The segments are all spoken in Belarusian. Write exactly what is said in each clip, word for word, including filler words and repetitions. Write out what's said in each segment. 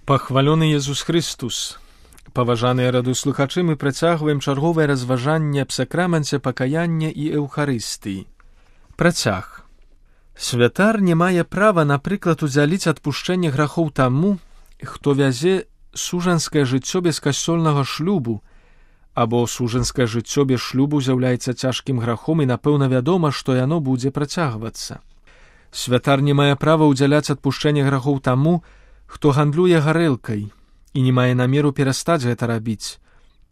Пахвалёны Езус Христус! Паважаныя радыёслухачы, мы працягваем чарговае разважанне аб сакраменце пакаяння і эўхарыстыі. Працяг. Святар не мае права, напрыклад, удзяліць адпушчэнне грахоў таму, хто вязе сужанскае жыццё без касцёльнага шлюбу, або сужанскае жыццё без шлюбу з'яўляецца цяжкім грахом і, напэўна, вядома, што яно будзе працягвацца. Святар не мае права удзяляць адпушчэнне грахоў таму, хто гандлюе гарэлкай і не мае намеру перастаць гэта рабіць,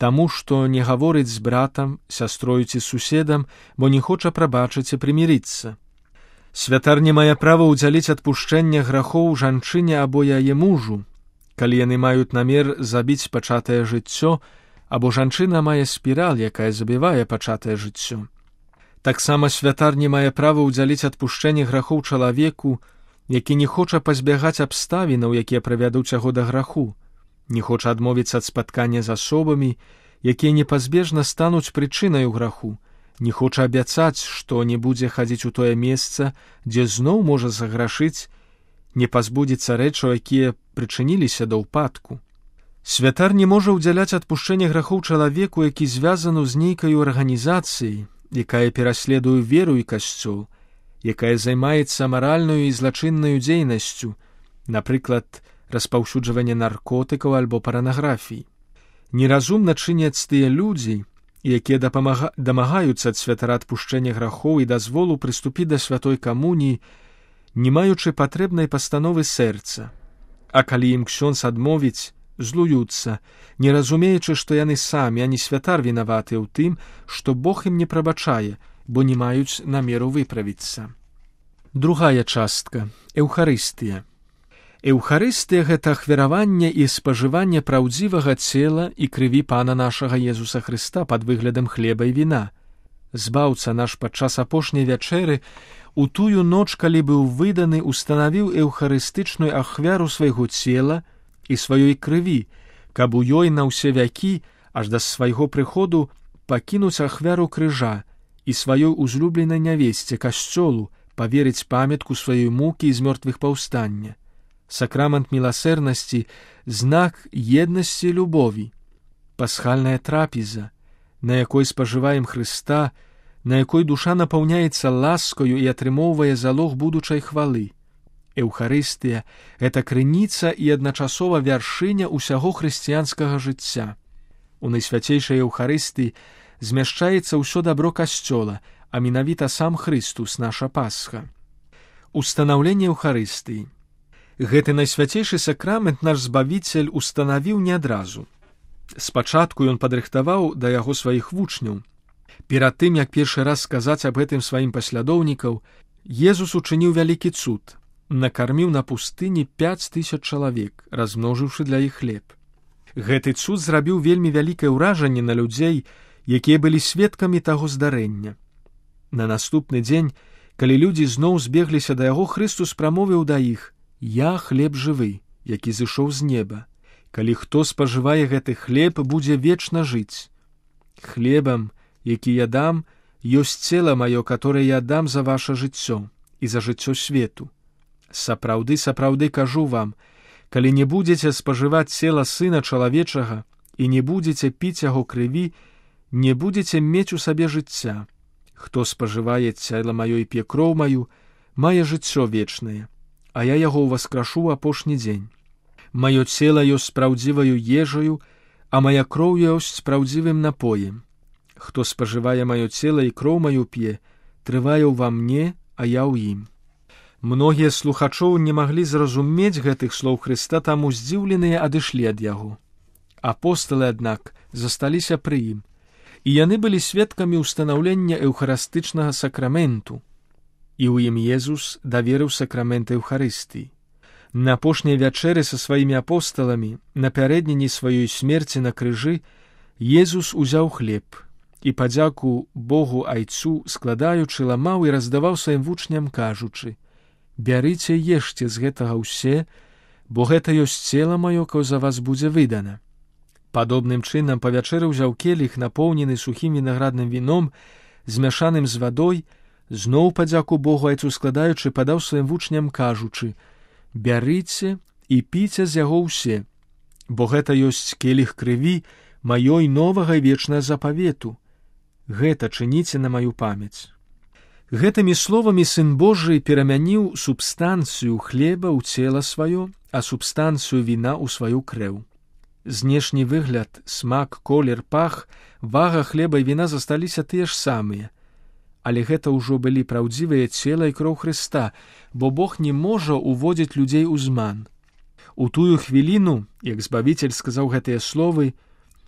таму што не гаворыць з братам, сястрою ці суседам, бо не хоча прабачыць і прымірыцца. Святар не мае права ўдзяліць адпушчэнне грахоў жанчыне або яе мужу, калі яны маюць намер забіць пачатае жыццё, або жанчына мае спіраль, якая забівае пачатае жыццё. Таксама святар не мае права ўдзяліць адпушчэнне грахоў чалавеку, які не хоча пазбягаць абставінаў, якія правядуць яго да граху, не хоча адмовіцца ад спаткання з асобамі, якія непазбежна стануць прычынаю граху, не хоча абяцаць, што не будзе хадзіць у тое месца, дзе зноў можа заграшыць, не пазбудзецца рэчаў, якія прычыніліся да ўпадку. Святар не можа ўдзяляць адпушчэнне грахоў чалавеку, які звязаны з нейкай арганізацыяй, якая пераследуе веру і касцёл, якая займаецца маральнаю і злачыннаю дзейнасцю, напрыклад, распаўсюджванне наркотыкаў альбо паранаграфій. Неразумна чыняць тыя людзі, якія дапамага... дамагаюцца ад святара адпушчэння грахоў і дазволу прыступіць да святой камуніі, не маючы патрэбнай пастановы сэрца. А калі ім ксёндз адмовіць, злуюцца, не разумеючы, што яны самі, а не святар вінаватыя ў тым, што Бог ім не прабачае, бо не маюць намеру выправіцца. Другая частка – эўхарыстыя. Эўхарыстыя – гэта ахвяраванне і спажыванне праўдзівага цела і крыві Пана нашага Езуса Хрыста пад выглядам хлеба і віна. Збаўца наш падчас апошняй вячэры у тую ноч, калі быў выданы, устанавіў эўхарыстычную ахвяру свайго цела і сваёй крыві, каб у ёй на ўсе вякі, аж да свайго прыходу, пакінуць ахвяру крыжа і сваёй узлюбленай нявесце, касцёлу, паверыць памятку сваёй мукі і з мёртвых паўстання. Сакрамент міласэрнасці – знак еднасці і любові. Пасхальная трапеза, на якой спажываем Хрыста, на якой душа напаўняецца ласкаю і атрымоўвае залог будучай хвалы. Эўхарыстыя – гэта крыніца і адначасова вяршыня ўсяго хрысціянскага жыцця. У найсвяцейшай Эўхарыстыі змяшчаецца ўсё дабро касцёла, а менавіта сам Хрыстус, наша Пасха. Устанаўленне Эўхарыстыі. Гэты найсвяцейшы сакрамент наш Збавіцель устанавіў не адразу. Спачатку ён падрыхтаваў да яго сваіх вучняў. Перад тым, як першы раз сказаць аб гэтым сваім паслядоўнікаў, Езус учыніў вялікі цуд, накарміў на пустыні пяць тысяч чалавек, размножыўшы для іх хлеб. Гэты цуд зрабіў вельмі вялікае ўражанне на людзей, якія былі сведкамі таго здарэння. На наступны дзень, калі людзі зноў збегліся да яго, Хрыстус прамовіў да іх: «Я хлеб жывы, які зышоў з неба. Калі хто спажывае гэты хлеб, будзе вечна жыць. Хлебам, які я дам, ёсць цела маё, которое я дам за ваше жыццё і за жыццё свету. Сапраўды, сапраўды кажу вам, калі не будзеце спажываць цела Сына Чалавечага і не будзеце піць яго крыві, не будзеце мець у сабе жыцця. Хто спажывае цела маё і п'е кроў маю, мае жыццё вечнае, а я яго ўваскрашу ў апошні дзень. Маё цела ёсць спраўдзіваю ежаю, а мая кроў ёсць спраўдзівым напоем. Хто спажывае маё цела і кроў маю п'е, трывае ўва мне, а я ў ім». Многія слухачоў не маглі зразумець гэтых слоў Хрыста, таму здзіўленыя адышлі ад яго. Апосталы, аднак, засталіся пры ім, і яны былі сведкамі ўстанаўлення эўхарыстычнага сакраменту, і ў ім Езус даверыў сакрамент Эўхарыстыі. На апошняй вячэры са сваімі апосталамі, напярэдадні сваёй смерці на крыжы, Езус узяў хлеб і падзяку Богу Айцу складаючы, ламаў і раздаваў сваім вучням, кажучы: «Бярыце, ешце з гэтага ўсе, бо гэта ёсць цела маё, кое за вас будзе выдана». Падобным чынам па вячэры ўзяў келіх, напоўнены сухім вінаградным віном, змяшаным з вадой, зноў падзяку Богу Айцу складаючы, падаў сваім вучням, кажучы: «Бярыце і піце з яго ўсе, бо гэта ёсць келіх крыві маёй новага і вечнага запавету. Гэта чыніце на маю памяць. Гэтымі словамі Сын Божий перамяніў субстанцыю хлеба ў цела сваё, а субстанцыю віна ў сваю крэў. Знешні выгляд, смак, колер, пах, вага хлеба і віна засталіся тыя ж самыя. Але гэта ўжо былі праўдзівыя цела і кроў Хрыста, бо Бог не можа уводзіць людзей у зман. У тую хвіліну, як Збавіцель сказаў гэтыя словы,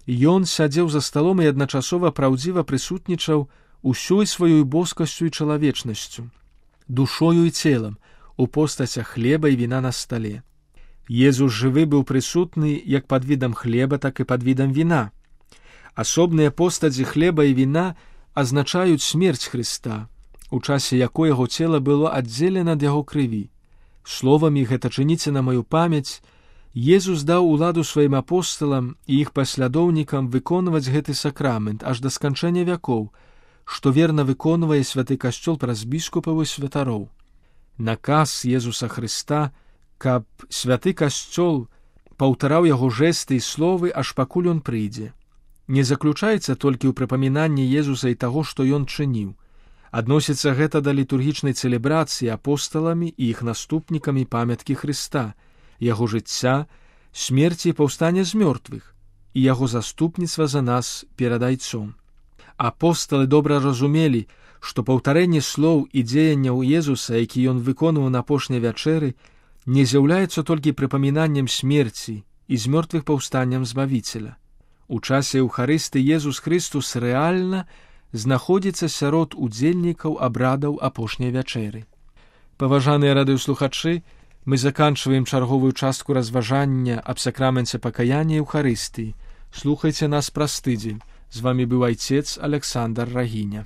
Ён сядзеў за сталом і адначасова праўдзіва прысутнічаў усёй сваёй боскасцю і чалавечнасцю, душою і целам, у постацях хлеба і віна на стале. Езус жывы быў прысутны як пад відам хлеба, так і пад відам віна. Асобныя постаці хлеба і віна азначаюць смерць Хрыста, у часе якой яго цела было аддзелена ад яго крыві. Словамі «гэта чыніце на маю памяць» Езус даў уладу сваім апосталам і іх паслядоўнікам выконваць гэты сакрамент аж да сканчэння вякоў, што верна выконвае святы касцёл праз біскупаў і святароў. Наказ Езуса Хрыста, каб святы касцёл паўтараў яго жэсты і словы, аж пакуль ён прыйдзе, не заключаецца толькі ў прыпамінанні Езуса і таго, што ён чыніў. Адносіцца гэта да літургічнай цэлебрацыі апосталамі і іх наступнікамі памяткі Хрыста, яго жыцця, смерці і паўстання з мёртвых, і яго заступніцтва за нас перад Айцом. Апосталы добра разумелі, што паўтарэнне слоў і дзеянняў Езуса, які ён выконваў на апошняй вячэры, не з'яўляецца толькі прыпамінаннем смерці і з мёртвых паўстанням Збавіцеля. У часе Еўхарыстыі Езус Хрыстус рэальна знаходзіцца сярод удзельнікаў абрадаў апошняй вячэры. Паважаныя радыёслухачы, мы заканчваем чарговую частку разважання аб сакраменце пакаяння і Еўхарыстыі. Слухайце нас праз тыдзень. З вамі быў айцец Александр Рагіня.